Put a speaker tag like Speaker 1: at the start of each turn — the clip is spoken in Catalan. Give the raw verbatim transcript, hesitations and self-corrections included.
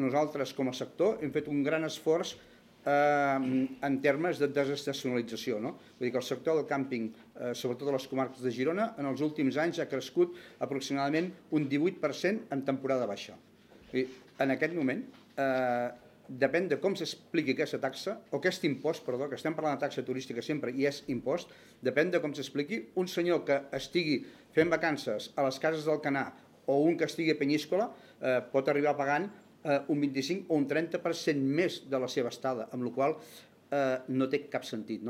Speaker 1: nosaltres com a sector hem fet un gran esforç en termes de desestacionalització. Vull dir que el sector del càmping, sobretot a les comarques de Girona, en els últims anys ha crescut aproximadament un divuit per cent en temporada baixa. En aquest moment, depèn de com s'expliqui aquesta taxa, o aquest impost, perdó, que estem parlant de taxa turística sempre i és impost, depèn de com s'expliqui, un senyor que estigui fent vacances a les cases d'Alcanar o un que estigui a Penyíscola pot arribar pagant un vint-i-cinc o un trenta per cent més de la seva estada, amb la qual cosa no té cap sentit.